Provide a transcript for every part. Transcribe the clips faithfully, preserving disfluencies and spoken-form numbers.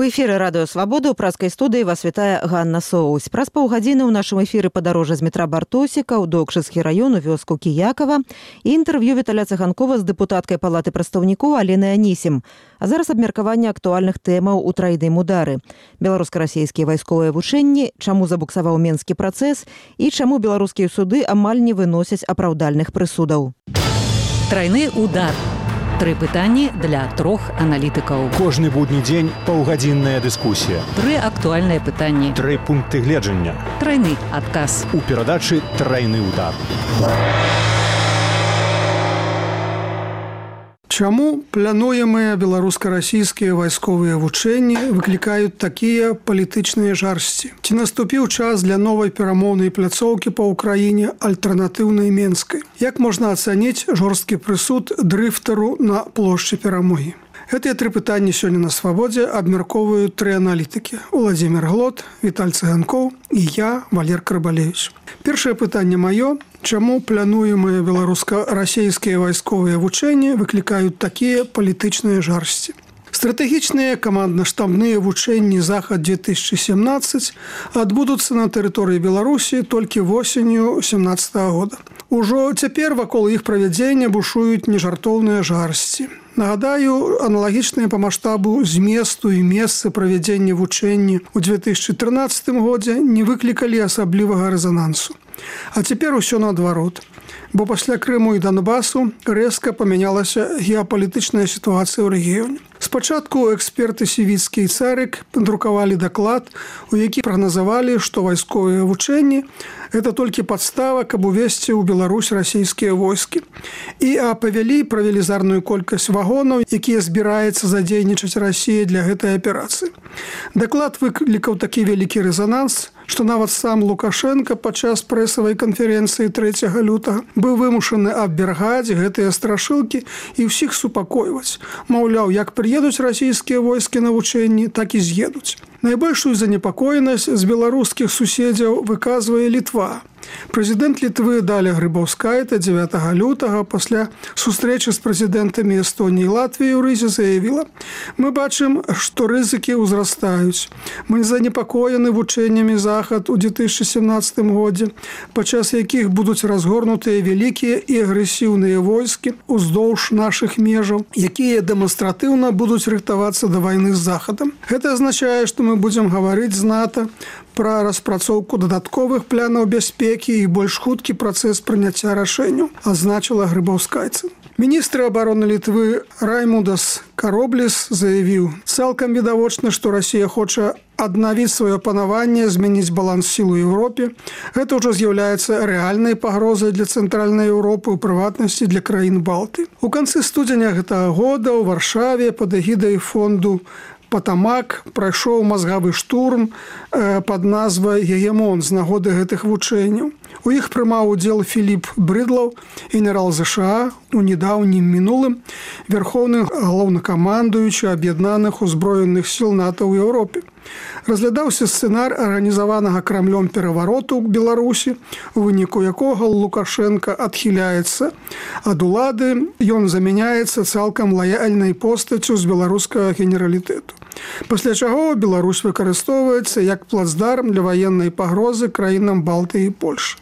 У эфіры радыё Свабода ў праскай студыі вас вітае Ганна Соусь. Праз паўгадзіны ў нашым эфіры падарожжа з метра Бартосіка ў Докшыцкі раён у вёску Кіякава і інтэрв'ю Віталя Цыганкова з дэпутаткай палаты прадстаўнікоў Аленай Анісім. А зараз абмеркаванне актуальных тэмаў у трайным удары. Беларуска-расійскія вайсковыя вучэнні, чаму забуксаваў менскі працэс і чаму беларускія суды амаль не выносяць апраўдальных прысудаў. Трайны удар. Тры пытанні для трох аналітыкаў. Кожны будні дзень паўгадзінная дыскусія. Тры актуальныя пытанні. Тры пункты гледжання. Трайны адказ. У перадачы «Трайны удар». Чаму плануемыя беларуска-расійскія вайсковыя вучэнні выклікаюць такія палітычныя жарсці? Ці наступіў час для новай перамоўнай пляцоўкі па ўкраіне альтэрнатыўнай менскай? Як можна ацаніць жорсткі прысуд дрыфтару на плошчы Перамогі? Гэтыя тры пытанні сёння на Свабодзе абмяркоўваюць тры аналітыкі: Уладзімір Глот, Віталь Цыганкоў і я, Валер Карбалевіч. Першае пытанне маё. Чаму плануемыя беларуска-расійскія вайсковыя вучэнні выклікаюць такія палітычныя жарсці? Стратэгічныя камандна-штабныя вучэнні «Захад-две тысячи семнадцать» адбудуцца на тэрыторыі Беларусі толькі восенню сямнаццатага года. Ужо цяпер вакол іх правядзення бушуюць нежартоўныя жарсці. Нагадаю, аналагічныя па маштабу зместу і месцы правядзення вучэнні ў две тысячи трынаццатым годзе не выклікалі асаблівага рэзанансу. А цяпер усё наадварот. Бо пасля Крыму і Донбасу рэзка памянялася геапалітычная сітуацыя ў рэгіёне. Спачатку эксперты Сівіцкі і Царык надрукавалі даклад, у які прагназавалі, што вайсковыя вучэнні – гэта толькі падстава, каб увесці ў Беларусь расійскія войскі. І апавялі пра велізарную колькасць вагонаў, якія збіраецца задзейнічаць Расія для гэтай аперацыі. Даклад выклікаў такі вялікі рэзананс, што нават сам Лукашенко падчас прэсавай канферэнцыі трэцяга лютага быў вымушаны абвяргаць гэтыя страшылкі і ўсіх супакойваць. Маўляў, як прыедуць расійскія войскі на вучэнні, так і з'едуць. Найбольшую занепакоенасць з беларускіх суседзяў выказвае Літва. Прэзідэнт Літвы Даля Грыбаўскайта дзевятага лютага пасля сустрэчы з прэзідэнтамі Эстоніі і Латвіі ў Рызе заявіла: «Мы бачым, што рызыкі ўзрастаюць. Мы занепакоены вучэннямі Захад у две тысячи семнадцатым годзе, падчас якіх будуць разгорнутыя вялікія і агрэсіўныя войскі уздоўж нашых межаў, якія дэманстратыўна будуць рыхтавацца да вайны з Захадам. Гэта азначае, што мы будзем гаварыць з НАТО пра распрацоўку дадатковых планаў бяспекі і больш хуткі працэс прыняцця рашэнняў», адзначыла Грыбаўскайца. Міністр абароны Літвы Раймундас Каробліс заявіў: «Цалкам відавочна, што Расія хоча аднавіць сваё панаванне, змяніць баланс сіл у Еўропе. Гэта ўжо з'яўляецца рэальнай пагрозай для цэнтральнай Еўропы, у прыватнасці для краін Балты». У канцы студзеня гэтага года ў Варшаве пад эгідай фонду Патамак прайшоў мазгавы штурм пад назвай «Гегемон» з нагоды гэтых вучэнняў. У іх прымаў удзел Філіп Брыдлаў, генерал ЗША, у недаўнім мінулым вярхоўны галоўнакамандуючы аб'яднаных узброеных сіл НАТО ў Еўропе. Разглядаўся сцэнар арганізаванага Крамлём перавароту ў Беларусі, у выніку якога Лукашенко адхіляецца ад улады, ён замяняецца цалкам лаяльнай постаццю з беларускага генералітэту. Пасля чаго Беларусь выкарыстоўваецца як плацдарм для ваеннай пагрозы краінам Балтыі і Польшы.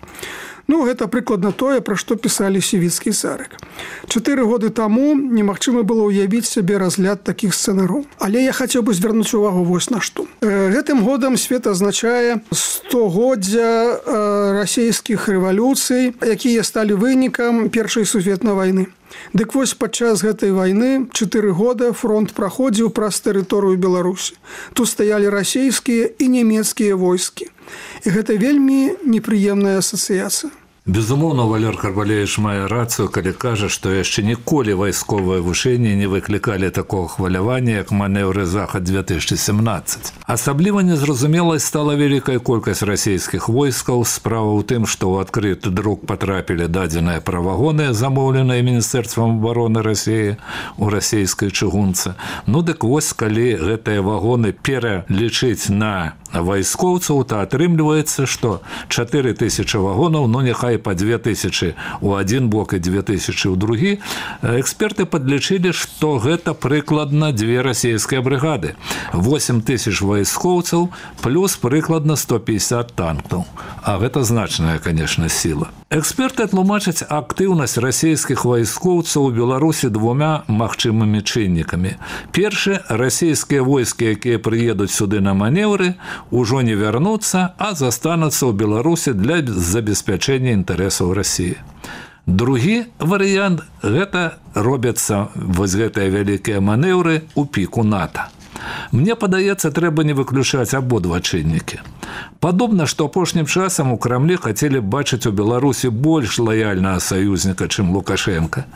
Ну, гэта прыкладна тое, пра што пісалі Сівіцкі і Царык. Чатыры годы таму немагчыма было ўявіць сябе разгляд такіх сцэнараў. Але я хацеў бы звярнуць увагу вось на што. Гэтым годам свет азначае стагоддзя расійскіх рэвалюцый, якія сталі вынікам Першай сусветнай вайны. Дык вось падчас гэтай вайны чатыры года фронт праходзіў праз тэрыторыю Беларусі. Тут стаялі расійскія і нямецкія войскі. І гэта вельмі непрыемная асацыяцыя. Безумоўна, Валер Карбалевіч мае рацыю, калі кажа, што яшчэ ніколі вайсковыя вучэнні не выклікалі такога хвалявання, як манеўры Захад-две тысячи семнадцать. Асабліва незразумелай стала вялікая колькасць расійскіх войскаў. Справа ў тым, што ў адкрыты друк патрапілі дадзеныя пра вагоны, замоўленыя Міністэрствам абароны Расіі ў расійскай чыгунцы. Ну, дык вось, калі гэтыя вагоны пералічыць на вайскоўцаў, то атрымліваецца, што чатыры тысячы вагонаў, ну, няхай амаль па две тысячы ў адзін бок і две тысячы ў другі, эксперты падлічылі, што гэта прыкладна две расійскія брыгады. восемь тысяч вайскоўцаў плюс прыкладна сто пятьдесят танкаў. А гэта значная, конечно, сила. Эксперты тлумачаць актыўнасць расійскіх вайскоўцаў у Беларусі двумя магчымымі чыннікамі. Першы, расійскія войскі, якія прыедуць сюды на манеўры, ужо не вярнуцца, а застануцца ў Беларусі для забеспячэння інтарэсаў Расіі. Другі варыянт – гэта робяцца вось гэтыя вялікія манеўры ў піку НАТО. Мне падаецца, трэба не выключаць абодва чыннікі. Падобна, што апошнім часам у Крамлі хацелі бачыць у Беларусі больш лаяльнага саюзніка, чым Лукашенка.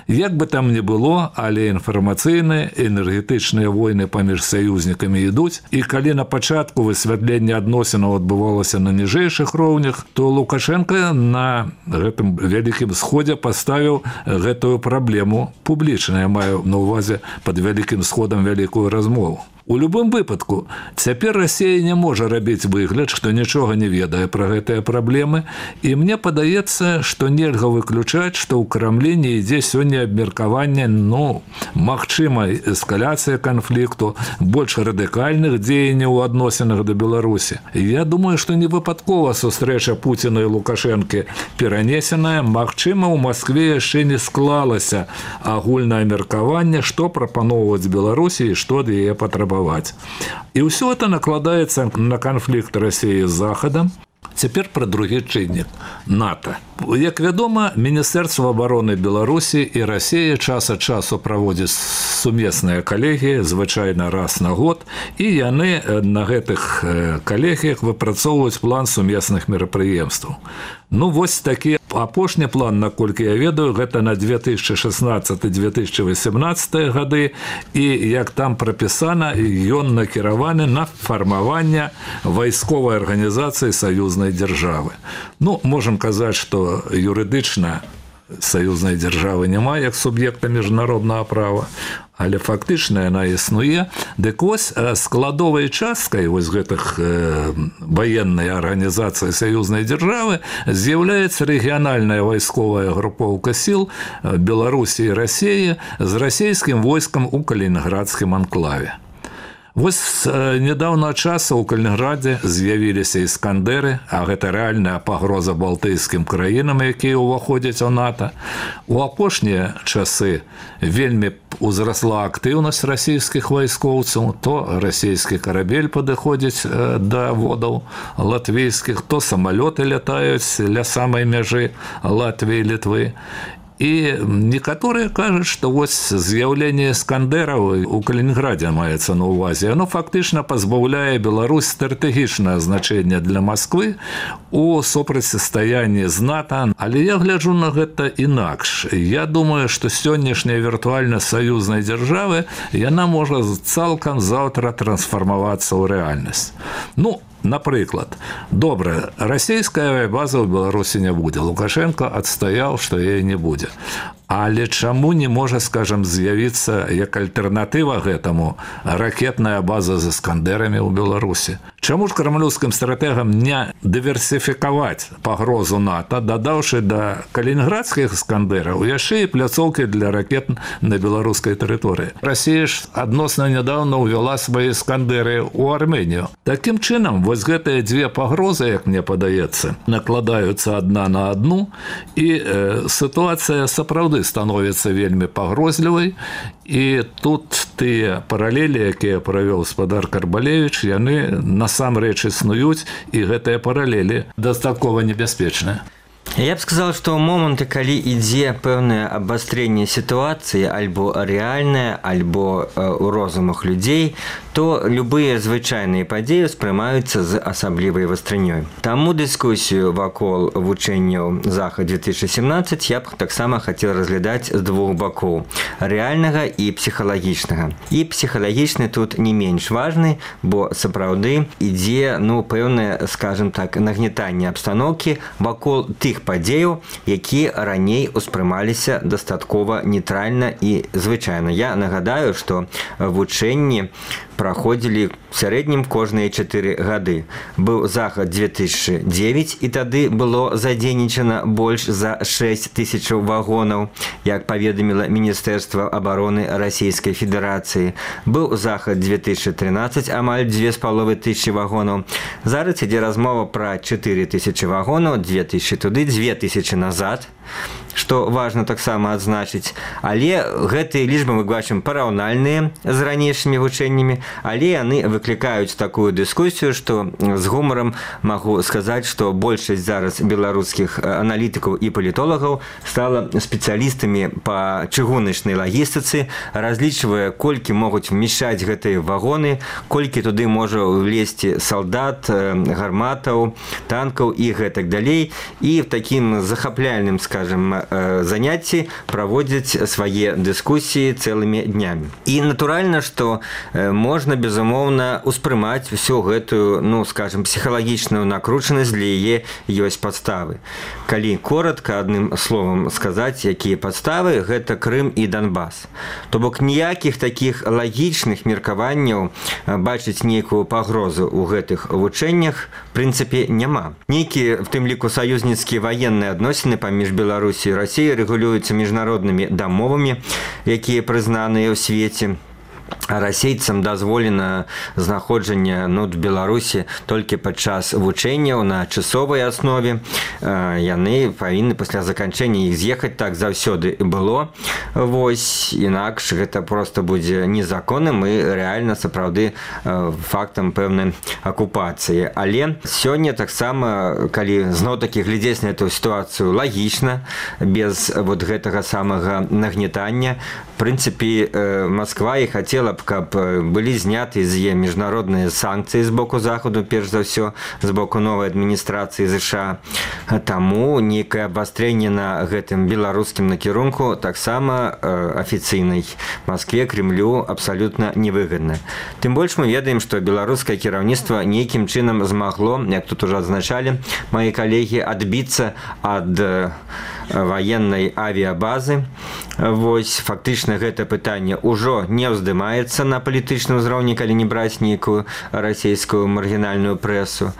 Як бы там ни было, але інфармацыйныя, энергетычныя войны паміж саюзнікамі ідуць, і калі на пачатку высвятленне адносінаў адбывалася на ніжэйшых роўнях, то Лукашенка на гэтым вялікім сходзе паставіў гэтую праблему публічна. Я маю на ўвазе пад вялікім сходам вялікую размову. У любым выпадку, цяпер Расія не можа рабіць выгляд, што нічога не ведае пра гэтыя праблемы, і мне падаецца, што нельга выключаць, што ў Крамлі не ідзе сёння абмеркаванне, ну, магчымай эскаляцыі канфлікту, больш радыкальных дзеянняў у адносінах да Беларусі. Я думаю, што не выпадкова сустрэча Пуціна і Лукашэнкі перанесеная, магчыма, ў Маскве яшчэ не склалася агульнае меркаванне, што прапаноўваць Беларусі і што ад яе патрабаваць. І ўсё это накладаецца на канфлікт Расіі з Захадам. Цяпер пра другі чыннік – НАТО. Як вядома, Міністэрства абароны Беларусі і Расіі час ад часу праводзяць сумесныя калегіі, звычайна раз на год, і яны на гэтых калегіях выпрацоўваюць план сумесных мерапрыемстваў. Ну, вось такі апошні план, наколькі я ведаю, гэта на две тысячи шестнадцатый - две тысячи восемнадцатый гады, і, як там прапісана, ён накіраваны на фармаванне вайсковай арганізацыі саюзнай дзяржавы. Ну, можам казаць, што юрыдычна саюзнай дзяржавы няма як суб'екта міжнароднага права, але фактычна яна існуе. Дык вось складовай часткай вось гэтых э, ваеннай арганізацыі саюзнай дзяржавы з'яўляецца рэгіянальная вайсковая групоўка сіл Беларусі і Расіі з расійскім войскам у Калінінградскім анклаве. Вось з нядаўнага часу ў Калінінградзе з'явіліся іскандеры, а гэта рэальная пагроза балтыйскім краінам, якія ўваходзяць у НАТО. У апошнія часы вельмі узрасла актыўнасць расійскіх вайскоўцаў, то расійскі карабель падыходзіць да водаў латвійскіх, то самалёты лятаюць ля самай мяжы Латвіі і Літвы. І некаторыя кажуць, што вось з'яўленне іскандэраў у Калінінградзе маецца на ўвазе. Яно фактычна пазбаўляе Беларусь стратэгічнае значэнне для Масквы у супрацьстаянні з НАТО. Але я гляджу на гэта інакш. Я думаю, што сённяшняя віртуальнасць саюзнай дзяржавы, яна можа цалкам заўтра трансфармавацца ў рэальнасць. Ну, напрыклад, добра, расійская авіабаза ў Беларусі не будзе. Лукашенко адстаяў, што яе не будзе. Але чаму не можа, скажам, з'явіцца як альтэрнатыва гэтаму ракетная база з іскандерамі ў Беларусі? Чаму ж крамлёўскім стратэгам не дыверсіфікаваць пагрозу НАТО, дадаўшы да калінінградскіх іскандераў яшчэ і пляцоўкі для ракет на беларускай тэрыторыі? Расія ж адносна нядаўна ўвяла свае іскандеры ў Арменію. Такім чынам, вось гэтыя дзве пагрозы, як мне падаецца, накладаюцца адна на адну, і э, сітуацыя сапраўды становіцца вельмі пагрозлівай, і тут тыя паралелі, якія правёў спадар Карбалевіч, яны насамрэч існуюць, і гэтыя паралелі дастаткова небяспечныя. Я б сказал, што ў моманты, калі ідзе пэўнае абвастрэнне сітуацыі, альбо рэальнае, альбо ў розумах людзей, то любыя звычайныя падзеі ўспрымаюцца з асаблівай вастрынёй. Таму дыскусію вакол вучэнняў Захад две тысячи семнадцать я б таксама хацеў разглядаць з двух бакоў – рэальнага і псіхалагічнага. І псіхалагічны тут не менш важны, бо сапраўды ідзе, ну, пэўнае, скажем так, нагнетанне абстаноўкі вакол тых падзеяў, якія раней успрымаліся дастаткова нейтральна і звычайна. Я нагадаю, што вучэнні праходзілі в сярэднім кожныя чатыры гады. Быў захад две тысячи девять, і тады было задзейнічана больш за шэсць тысяч вагонаў, як паведаміла Міністэрства абароны Расійскай Федэрацыі. Быў захад две тысячи тринадцать, амаль дзве з паловай тысячы вагонаў. Зараз ідзе размова пра чатыры тысячы вагонаў, две тысячи туды, две тысячи назад, што важна таксама адзначыць. Але гэтыя лічбы мы бачым параўнальныя з ранейшымі вучэннямі, але яны выклікаюць такую дыскусію, што з гумарам магу сказаць, што большасць зараз беларускіх аналітыкаў і палітолагаў стала спецыялістамі па чыгуначнай лагістыцы, разлічвае, колькі могуць вмяшчаць гэтыя вагоны, колькі туды можа влезці салдат, гарматаў, танкаў і гэтак далей. І в такім захапляльным, скажем, занятці праводзяць свае дыскусіі цэлымі днямі. І натуральна, што можна, безумоўна, успрымаць всю гэтую, ну, скажем, псіхалагічную накручанасць, для яе ёсць падставы. Калі коротка адным словам сказаць, якія падставы, гэта Крым і Донбас. То бок ніякіх такіх лагічных меркаванняў бачыць нейкую пагрозу ў гэтых вучэннях, в прынцыпе, няма. Нейкія, в тым ліку, саюзніцкія ваенныя адносіны паміж Беларусі і Расіі рэгулююцца міжнароднымі дамовамі, якія прызнаныя ў свеце. Расейцам дазволена знаходжанне, ну, в Беларусі толькі падчас вучэнняў на часовай аснове. Яны павінны пасля заканчэння іх з'ехаць, так заўсёды было. Вось, інакш гэта проста будзе незаконным і рэальна сапраўды фактам пэўнай акупацыі. Але сёння таксама, калі зноў-такі глядзець на эту сітуацыю лагічна, без вот гэтага самага нагнетання, в прынцыпе, Масква і хацела б, каб былі зняты з яе міжнародныя санкцыі з боку Захаду, перш за ўсё, з боку новай адміністрацыі ЗША. Таму нейкае абвастрэнне на гэтым беларускім накірунку таксама афіцыйнай Маскве, Крымлю абсалютна невыгадна. Тым больш мы ведаем, што беларускае кіраўніцтва нейкім чынам змагло, як тут ужо адзначалі мае калегі, адбіцца ад ваеннай авіябазы. Вось, фактычна гэта пытанне ўжо не ўздымаецца на палітычным узроўні, калі не браць нейкую расійскую маргінальную прэсу.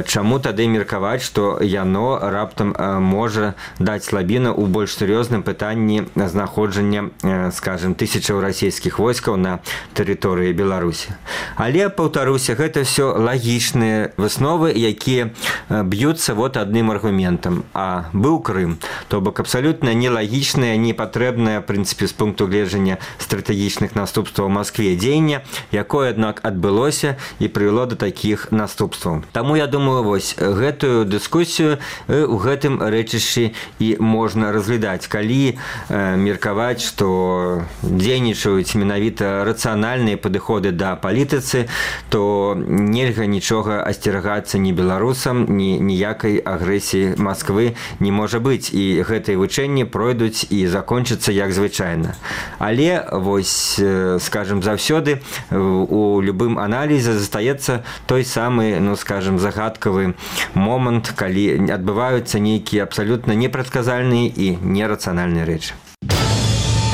Чаму тады меркаваць, што яно раптам можа даць слабіну ў больш сур'ёзным пытанні знаходжання, скажем, тысячаў расійскіх войскаў на тэрыторыі Беларусі. Але, паўтаруся, гэта ўсё лагічныя высновы, якія б'юцца вот адным аргументам. А быў Крым. То бок абсалютна нелагічнае, непатрэбнае, в прынцыпе, з пункту гледжання стратэгічных наступстваў Маскве дзеяння, якое, аднак, адбылося і прывяло да такіх наступстваў. Таму, я думаю, вось гэтую дыскусію ў гэтым рэчышчы і можна разглядаць. Калі меркаваць, што дзейнічаюць менавіта рацыянальныя падыходы да палітыцы, то нельга нічога асцерагацца ні беларусам, ні ніякай агрэсіі Масквы не можа быць. І гэтыя вучэнні пройдуць і закончацца як звычайна. Але, вось, скажем, заўсёды у любым аналізе застаецца той самы, ну, скажем, загадкавы момант, калі адбываюцца нейкія абсалютна непрадказальныя і нерацыянальныя рэчы.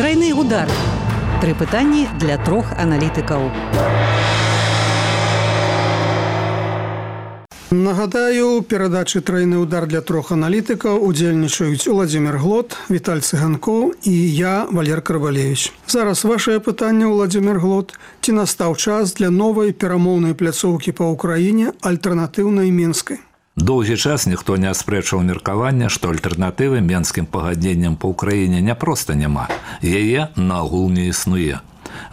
Трайны удар. Тры пытанні для трох аналітыкаў. Нагадаю, у перадачы «Трайны удар» для трох аналітыкаў удзельнічаюць Уладзімір Глот, Віталь Цыганкоў і я, Валер Карбалевіч. Зараз вашае пытанне, Уладзімір Глот. Ці настаў час для новай перамоўнай пляцоўкі па ўкраіне, альтэрнатыўнай Менскай? Доўгі час ніхто не аспрэчваў меркавання, што альтэрнатывы менскім пагадненням па ўкраіне не проста няма. Яе наогул не існуе.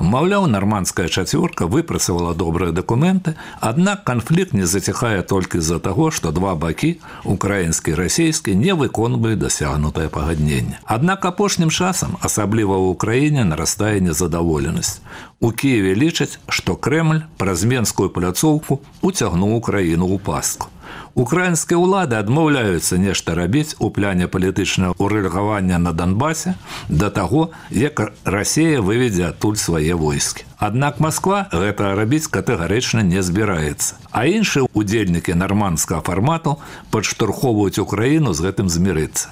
Маўляў, нармандская чацвёрка выпрацавала добрыя дакументы, аднак канфлікт не заціхае толькі з-за таго, што два бакі, украінскі і расійскі, не выконваюць дасягнутае пагадненне. Аднак апошнім часам, асабліва ў Украіне, нарастае незадаволенасць. У Кіеве лічаць, што Крэмль праз менскую пляцоўку уцягнуў Украіну ў пастку. Украінскія ўлады адмаўляюцца нешта рабіць у пляне палітычнага ўрэгулявання на Донбасе да таго, як Расія выведзе адтуль свае войскі. Аднак Масква гэта рабіць катэгарычна не збіраецца. А іншыя удзельнікі нармандскага фармату падштурхоўваюць Украіну з гэтым змірыцца.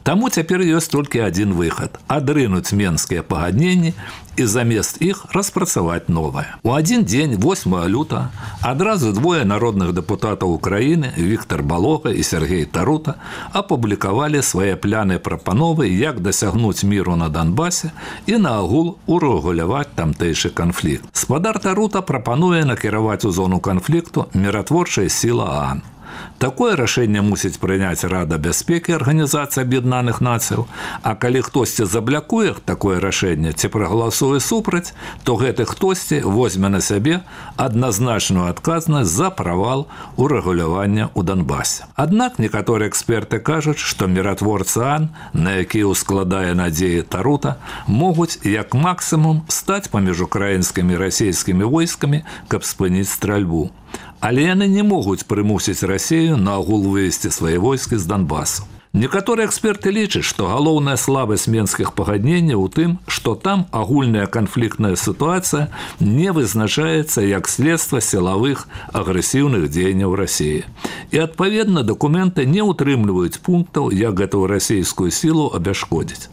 Таму цяпер ёсць толькі адзін выхад – адрынуць менскія пагадненні і замест іх распрацаваць новае. У адзін дзень, восьмага лютага, адразу двое народных дэпутатаў Украіны, Віктор Балога і Сергей Тарута, апублікавалі свае пляны прапановы, як дасягнуць міру на Донбасе і наагул урэгуляваць тамтэйшы канфлікт. Спадар Тарута прапануе накіраваць у зону канфлікту міратворчая сіла ААН. Такое рашэнне мусіць прыняць Рада бяспекі Арганізацыі Аб'яднаных Нацыяў, а калі хтосьці заблякуе такое рашэнне ці прагаласуе супраць, то гэты хтосьці возьме на сябе адназначную адказнасць за правал урэгулявання ў Донбасе. Аднак некаторыя эксперты кажуць, што міратворцы ААН, на якія ўскладае надзеі Тарута, могуць як максімум стаць паміж украінскімі і расійскімі войскамі, каб спыніць стральбу. Але яны не могуць прымусіць Расію наагул вывесці свае войскі з Донбасу. Некаторыя эксперты лічаць, што галоўная слабасць менскіх пагадненняў у тым, што там агульная канфліктная сітуацыя не вызначаецца як следства сілавых агрэсіўных дзеянняў Расіі. І, адпаведна, дакументы не ўтрымліваюць пунктаў, як гэтую расійскую сілу абяшкодзіць.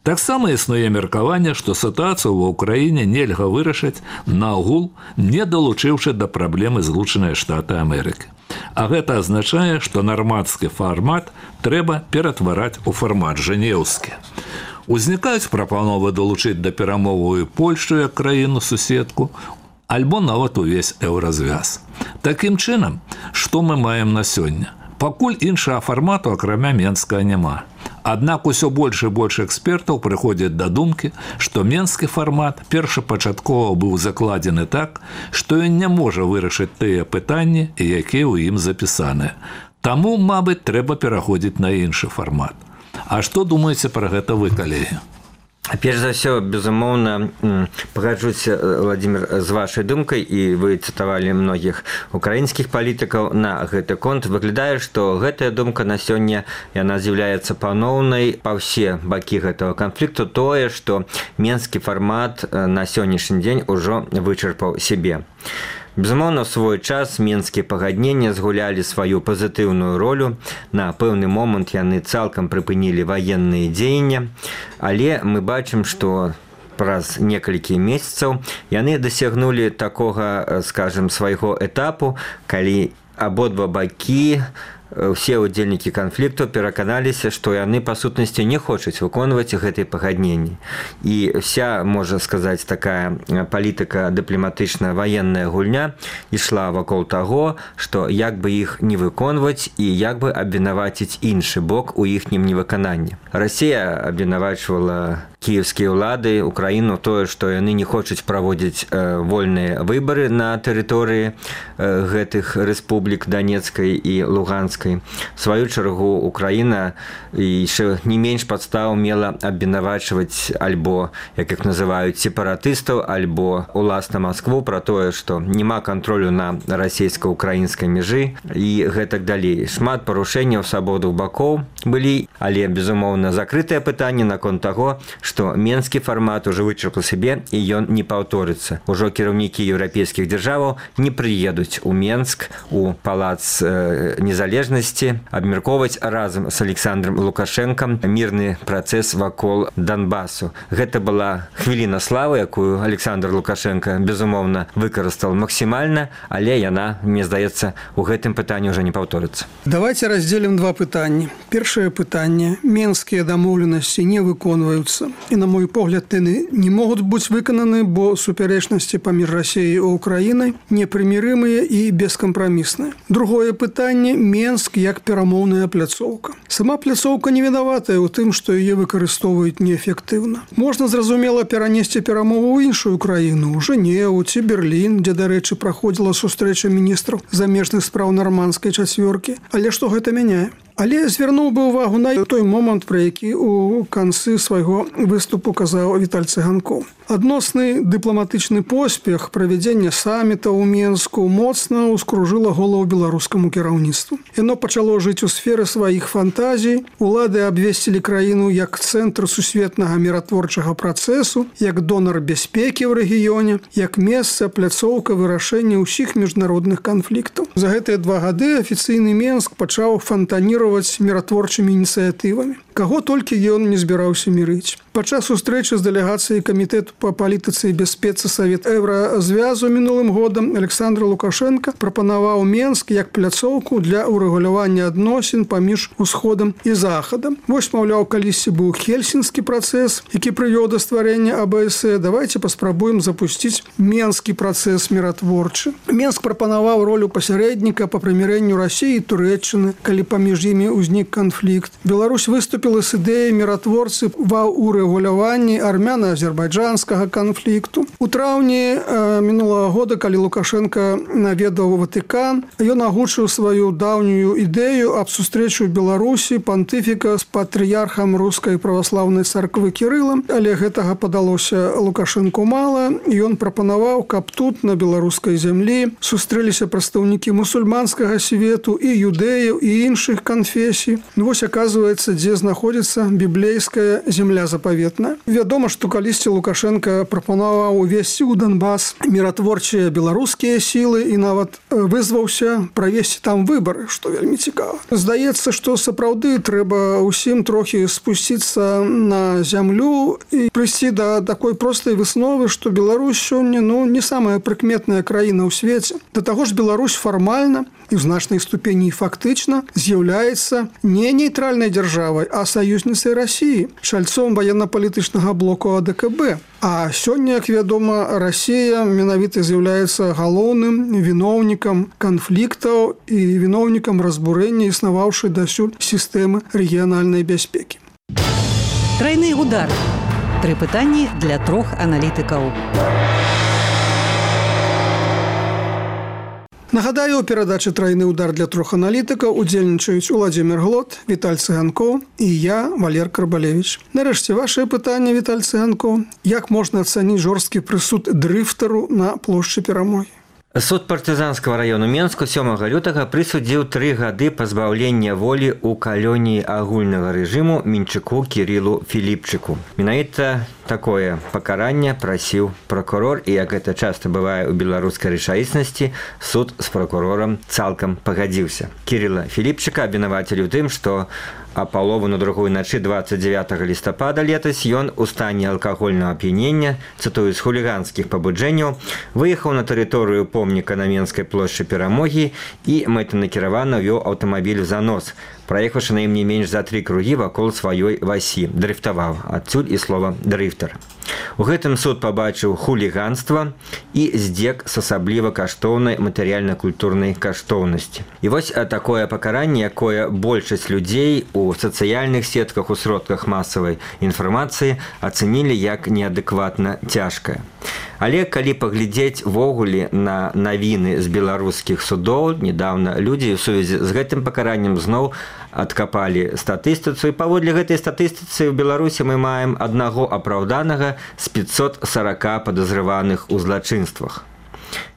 Таксама існуе меркаванне, што сітуацыю ва ўкраіне нельга вырашыць наагул, не далучыўшы да праблемы Злучаныя Штаты Амерыкі. А гэта азначае, што нармандскі фармат трэба ператвараць у фармат жэнеўскі. Узнікаюць прапановы далучыць да перамовы Польшчу як краіну-суседку, альбо нават увесь еўразвяз. Такім чынам, што мы маем на сёння? Пакуль іншага фармату, акрамя менскага, няма. Аднак усё больш і больш экспертаў прыходзяць да думкі, што менскі фармат першапачаткова быў закладзены так, што ён не можа вырашыць тыя пытанні, якія ў ім запісаныя. Таму, мабыць, трэба пераходзіць на іншы фармат. А што думаеце пра гэта вы, калегі? Перш за ўсё, безумоўна, пагаджуся, Владимир, з вашай думкай, і вы цытавалі многіх украінскіх палітыкаў на гэты конт. Выглядае, што гэтая думка на сёння, яна з'яўляецца паноўнай па ўсе бакі гэтага канфлікту, тое, што менскі фармат на сённяшні дзень ужо вычарпаў сябе. Безумоўна, у свой час менскія пагадненні згулялі сваю пазітыўную ролю. На пэўны момант яны цалкам прыпынілі ваенныя дзеянні, але мы бачым, што праз некалькі месяцаў яны дасягнулі такога, скажем, свайго этапу, калі абодва бакі, усе удзельнікі канфлікту пераканаліся, што яны па сутнасці не хочуць выконваць гэтыя пагадненні. І вся, можна сказаць, такая палітыка дыпламатычная ваенная гульня ішла вакол таго, што як бы іх не выконваць і як бы абвінаваціць іншы бок у іхнім невыкананні. Расія абвінавачвала кіеўскія ўлады, Украіну, тое, што яны не хочуць праводзіць вольныя выбары на тэрыторыі гэтых рэспублік Данецкай і Луганскай. В сваю чаргу Украіна яшчэ не менш падстаў мела абвінавачваць альбо, як іх называюць, сепаратыстаў, альбо уласна Маскву пра тое, што няма кантролю на расійска-украінскай мяжы і гэтак далей. Шмат парушэнняў свабодных бакоў былі, але, безумоўна, закрытае пытанне наконт таго, што менскі фармат ужо вычарпаў сябе і ён не паўторыцца. Ужо кіраўнікі еўрапейскіх дзяржаваў не прыедуць у Менск, у палац э, незалежнасці, абмяркоўваць разам з Александром Лукашэнкам мірны працэс вакол Донбасу. Гэта была хвіліна славы, якую Александр Лукашенко, безумоўна, выкарыстаў максімальна, але яна, мне здаецца, у гэтым пытанні ўжо не паўторыцца. Давайте разделим два пытанні. Першае пытанне. Менскія дамоўленасці не выконваюцца. І, на мой погляд, яны не могуць быць выкананы, бо супярэчнасці паміж Расіяй і Украінай непрымірымыя і бескампрамісныя. Другое пытанне – Менск як перамоўная пляцоўка. Сама пляцоўка не вінаватая ў тым, што яе выкарыстоўваюць неэфектыўна. Можна, зразумела, перанесці перамову ў іншую краіну, у Жэневу ці Берлін, дзе, дарэчы, праходзіла сустрэча міністраў замежных спраў нармандскай чацвёркі. Але што гэта мяняе? Але звярнуў бы ўвагу на той момант, пра які ў канцы свайго выступу казаў Віталь Цыганкоў. Адносны дыпламатычны поспех правядзення саміта ў Менску моцна ўскружыла галаву беларускаму кіраўніцтву. Яно пачало жыць у сферы сваіх фантазій. Улады абвесцілі краіну як цэнтр сусветнага міратворчага працэсу, як донар бяспекі ў рэгіёне, як месца, пляцоўка вырашэння ўсіх міжнародных канфліктаў. За гэтыя два гады афіцыйны Менск пачаў фантаніраваць міратворчымі ініцыятывамі. Каго толькі ён не збіраўся мірыць. Падчас сустрэчы з дэлегацыяй камітэту па палітыцы і бяспецы Савет Еўразвязу мінулым годам Александр Лукашенко прапанаваў Менск як пляцоўку для ўрэгулявання адносін паміж усходам і захадам. Вось, маўляў, калісьці быў хельсінскі працэс, які прывёў да стварэння А Бэ Эс Э. Давайте паспрабуем запусціць менскі працэс міратворчы. Менск прапанаваў ролю пасярэдніка па прымірэнню Расіі і Турэччыны, калі паміж імі ўзнік канфлікт. Беларусь выступіла з ідэяй міратворцы ва ўрэгуляванні армяна-азербайджанскага канфлікту. У траўні э, мінулага года, калі Лукашенко наведаў Ватыкан, ён агучыў сваю даўнюю ідэю аб сустрэчу ў Беларусі пантыфіка з патрыярхам рускай праваслаўнай царквы Кірылам, але гэтага падалося Лукашенку мала, і ён прапанаваў, каб тут, на беларускай зямлі, сустрэліся прадстаўнікі мусульманскага свету і юдэяў і іншых канфесій. Ну, вось, аказваецца, дзе знаходзіцца біблейская земля запаветная. Вядома, што калісьці Лукашенко прапанаваў увесці ў Донбас міратворчыя беларускія сілы і нават вызваўся правесці там выбары, што вельмі цікава. Здаецца, што сапраўды трэба ўсім трохі спусціцца на зямлю і прыйсці да такой простай высновы, што Беларусь сёння ну, не самая прыкметная краіна ў свеце. Да таго ж Беларусь фармальна і ў значнай ступені фактычна з'яўляецца не нейтральнай дзяржавай, а саюзніцай Расіі, чальцом ваенна-палітычнага блоку А Дэ Ка Бэ. А сёння, як вядома, Расія менавіта з'яўляецца галоўным віноўнікам канфліктаў і віноўнікам разбурэння існаваўшай дасюль сістэмы рэгіянальнай бяспекі. Трайны удар. Тры пытанні для трох аналітыкаў. Нагадаю, у перадачы «Трайны удар» для трох аналітыкаў удзельнічаюць Уладзімір Глот, Віталь Цыганкоў і я, Валер Карбалевіч. Нарэшце, вашае пытанне, Віталь Цыганкоў. Як можна ацаніць жорсткі прысуд дрыфтару на плошчы Перамогі? Суд партызанскага раёну Менску сёмага лютага прысудзіў тры гады пазбаўлення волі ў калоніі агульнага рэжыму Мінчыку Кірылу Філіпчыку. Менавіта такое пакаранне прасіў пракурор, і як гэта часта бывае ў беларускай рэчаіснасці, суд з пракурорам цалкам пагадзіўся. Кірыла Філіпчыка абвінавацілі ў тым, што а палову на другую начы двадцать девятого лістапада летась ён у стане алкагольнага ап'янення, цытую, з хуліганскіх пабуджэнняў, выехаў на тэрыторыю помніка на Менскай плошчы Перамогі і мэтанакіравана вёў аўтамабіль у занос, праехаўшы на ім не менш за тры кругі вакол сваёй васі, дрыфтаваў, адсюль і слова дрыфтар. У гэтым суд пабачыў хуліганства і здзек з асабліва каштоўнай матэрыяльна-культурнай каштоўнасці. І вось такое пакаранне, якое большасць людзей у сацыяльных сетках, у сродках масавай інфармацыі ацэнілі як неадэкватна цяжкае. Але калі паглядзець ввогуле на навіны з беларускіх судоў, недавно людзі ў сувязі з гэтым пакараннем зноў адкапалі статыстыцыю. Паводле гэтай статыстыцы ў Беларусі мы маем аднаго апраўданага з пятьсот сорок падазрываных у злачынствах.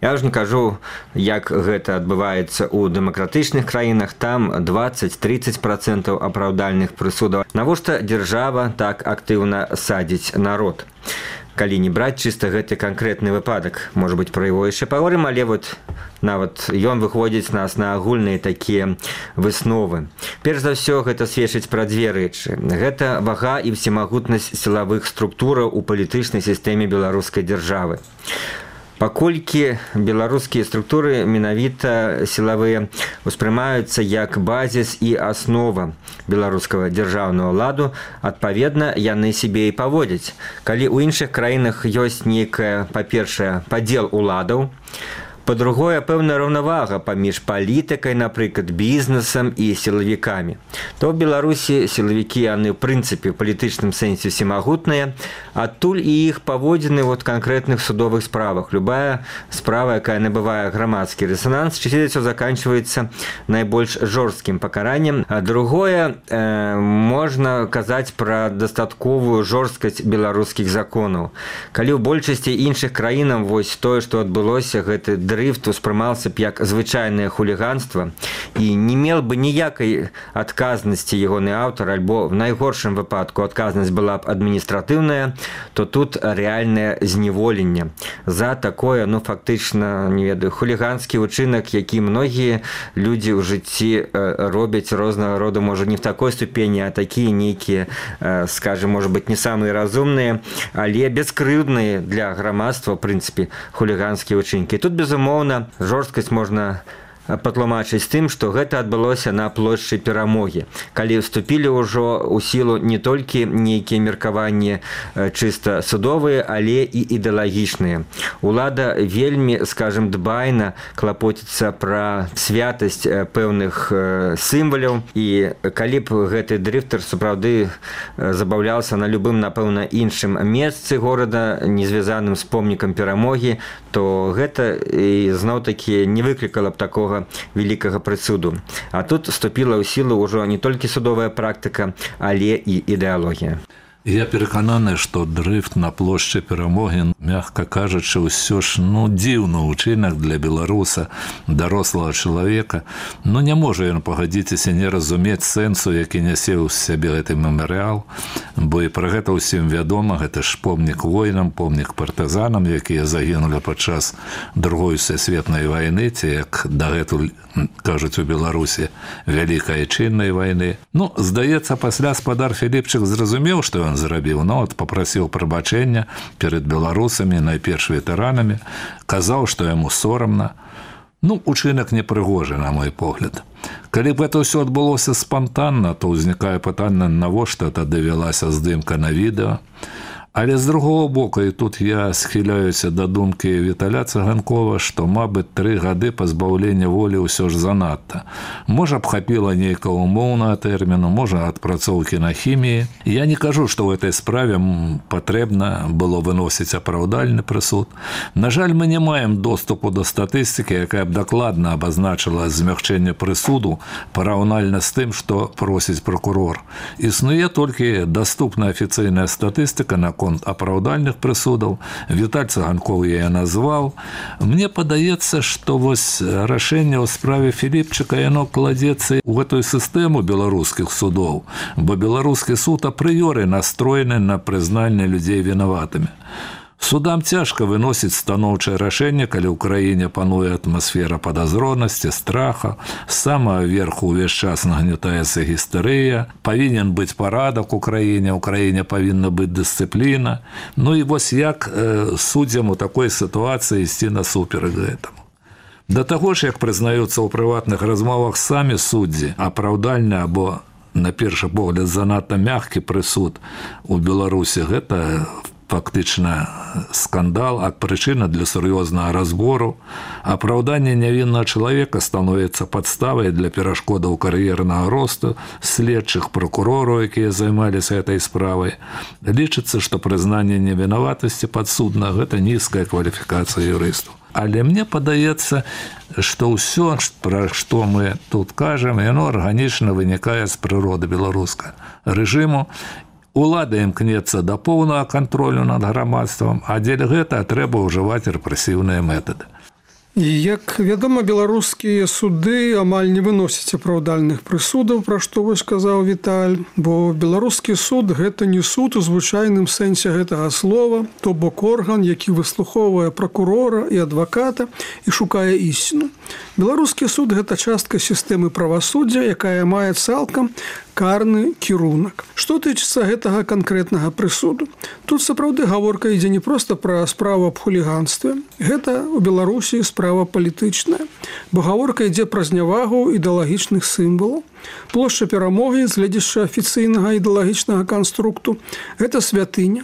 Я ж не кажу, як гэта адбываецца ў дэмакратычных краінах, там двадцать-тридцать процентов апраўдальных прысудаў. Навошта дзяржава так актыўна садзіць народ? Калі не браць чыста гэты канкрэтны выпадак, можа быць, пра яго яшчэ паговорым, але вот нават ён выходзіць нас на агульныя такія высновы. Перш за ўсё, гэта сведчыць пра дзве рэчы. Гэта вага і всемагутнасць сілавых структураў у палітычнай сістэме беларускай дзяржавы. Паколькі беларускія структуры менавіта сілавыя успрымаюцца як базіс і аснова беларускага дзяржаўнага ладу, адпаведна, яны сябе і паводзяць. Калі ў іншых краінах ёсць нейкая, па-першае, падзел уладаў, Па-другое, пэўная раўнавага паміж палітыкай, напрыклад, бізнесам і сілавікамі. То ў Беларусі сілавікі, яны ў прынцыпе ў палітычным сэнсе всемагутныя, адтуль і іх паводзіны вот канкрэтных судовых справах. Любая справа, якая набывае грамадскі рэзананс, часцей заканчивается найбольш жорсткім пакараннем. А другое, э, можна казаць пра дастатковую жорсткасць беларускіх законаў. Калі ў большасці іншых краінаў вось тое, што адбылося, гэты дрыфт успрымаўся б як звычайнае хуліганства і не меў бы ніякай адказнасці ягоны аўтар, альбо в найгоршым выпадку адказнасць была б адміністратыўная, то тут рэальнае зневоленне за такое, ну, фактычна, не ведаю, хуліганскі учынак, які многія людзі ў жыцці робяць рознага роду, можа, не в такой ступені, а такія нейкія, скажем, можа быць, не самыя разумныя, але бескрыўдныя для грамадства, в прынцыпе, хуліганскія учынкі. Тут, безумоўна, жорсткасць можна патлумачыць тым, што гэта адбылося на плошчы Перамогі, калі вступілі ўжо ў сілу не толькі нейкія меркаванні чыста судовыя, але і ідэалагічныя. Улада вельмі, скажем, дбайна клапоціцца пра святасць пэўных сімваляў, і калі б гэты дрыфтар сапраўды забаўляўся на любым, напэўна, іншым месцы горада, не звязаным з помнікам Перамогі, то гэта зноў-такі не выклікала б такога великага прысуду. А тут вступила ў сілу ўжо не толькі судовая практыка, але і ідэалогія. Я перакананы, што дрыфт на плошчы Перамогі, мягка кажучы, ўсё ж, ну, дзіўны ўчынак для беларуса, дарослага чалавека. Ну, не можа ён, пагадзіцеся, не разумець сэнсу, які нясе ў сябе гэты мемарыял, бо і пра гэта ўсім вядома, гэта ж помнік воінам, помнік партызанам, якія загінулі падчас другой сусветнай вайны, ці, як дагэтуль кажуць у Беларусі, вялікай чыннай вайны. Ну, здаецца, пасля спадар Філіпчык зразумеў, што ён зрабіў, но от папрасіў прабачэння перад беларусамі, найперш ветэранамі, казаў, што яму сорамна. Ну, учынак непрыгожы, на мой погляд. Калі б гэта ўсё адбылося спантанна, то ўзнікае пытанне, навошта тады вялася здымка на відэо. Але з другого боку, і тут я схіляюся да думкі Віталя Цыганкова, што, мабыць, тры гады пазбаўлення волі ўсё ж занадта. Можа б хапіла нейкага умоўнага тэрміну, можа адпрацоўкі на хіміі. Я не кажу, што ў этой справе патрэбна было выносіць апраўдальны прысуд. На жаль, мы не маем доступу да статыстыкі, якая б дакладна абазначыла змягчэнне прысуду параўнальна з тым, што просіць прокурор. Існуе толькі даступная афіцыйная статыстыка на апраўдальных прысудаў. Віталь Цыганков я назваў. Мне падаецца, што вось рашэнне ў справе Філіпчыка, яно кладзецца ў гэтую сістэму беларускіх судоў, бо беларускі суд апрыёры настроены на прызнанне людзей вінаватымі. Судам цяжка выносіць станоўчае рашэнне, калі ў краіне пануе атмасфера падазронасці, страха, з самага верху ўвесь час нагнятаецца гістэрыя, павінен быць парадак у краіне, ў краіне павінна быць дысцыпліна. Ну і вось як э, суддзям у такой сітуацыі ісці насуперак гэтаму. Да таго ж, як прызнаюцца ў прыватных размовах самі суддзі, апраўдальны або, на першы погляд, занадта мяккі прысуд у Беларусі, гэта фактычна скандал, а прычына для сур'ёзнага разбору. Апраўданне нявіннага чалавека становіцца падставай для перашкодаў кар'ернага росту следчых, прокурораў, якія займаліся этой справай. Лічыцца, што прызнанне невінаватасці падсудна – гэта нізкая кваліфікацыя юрыстаў. Але мне падаецца, што ўсё, пра што мы тут кажам, яно арганічна вынікае з прыроды беларускага рэжыму. Улада імкнецца да поўнага кантролю над грамадствам, а дзеля гэта трэба ўжываць рэпрэсіўныя метады. Як вядома, беларускія суды амаль не выносяць апраўдальных прысудаў, пра што вось сказаў Віталь, бо беларускі суд – гэта не суд у звычайным сэнсе гэтага слова, то бок орган, які выслухоўвае прокурора і адваката і шукае ісціну. Беларускі суд – гэта частка сістэмы правасуддзя, якая мае цалкам карны кірунак. Што тычыцца гэтага канкрэтнага прысуду? Тут сапраўды гаворка ідзе не проста пра справу аб хуліганстве. Гэта у Беларусі справа палітычная, бо гаворка ідзе пра знявагу ідэалагічных сімвалаў. Плошча Перамогі з гледзяча афіцыйнага ідэалагічнага канструкту – гэта святыня.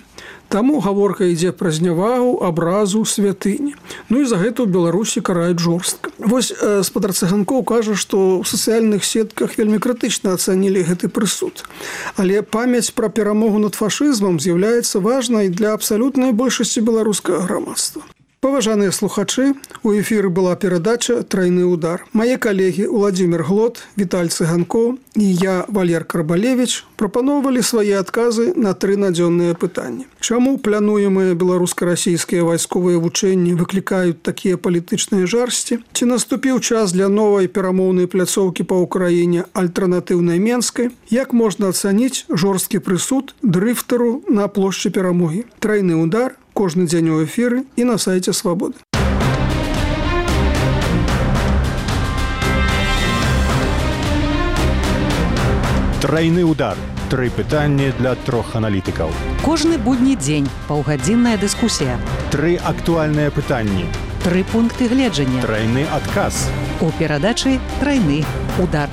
Таму гаворка ідзе пра знявагу, абразу, святыні. Ну і за гэта ў Беларусі караюць жорстка. Вось спадар Цыганкоў кажа, што ў сацыяльных сетках вельмі крытычна ацанілі гэты прысуд. Але памяць пра перамогу над фашызмам з'яўляецца важнай для абсалютнай большасці беларускага грамадства. Паважаныя слухачы, у эфіры была перадача «Трайны удар». Мае калегі Уладзімір Глот, Віталь Цыганкоў і я, Валер Карбалевіч, прапаноўвалі свае адказы на тры надзённыя пытанні. Чаму плануемыя беларуска-расійскія вайсковыя вучэнні выклікаюць такія палітычныя жарсці? Ці наступіў час для новай перамоўнай пляцоўкі па ўкраіне альтэрнатыўнай Менскай? Як можна ацаніць жорсткі прысуд дрыфтару на плошчы Перамогі? «Трайны удар» кожны дзень у эфіры і на сайце Свабоды. Трайны удар. Тры пытанні для трох аналітыкаў. Кожны будні дзень паўгадзінная дыскусія. Тры актуальныя пытанні. Тры пункты гледжання. Трайны адказ. У перадачы «Трайны удар».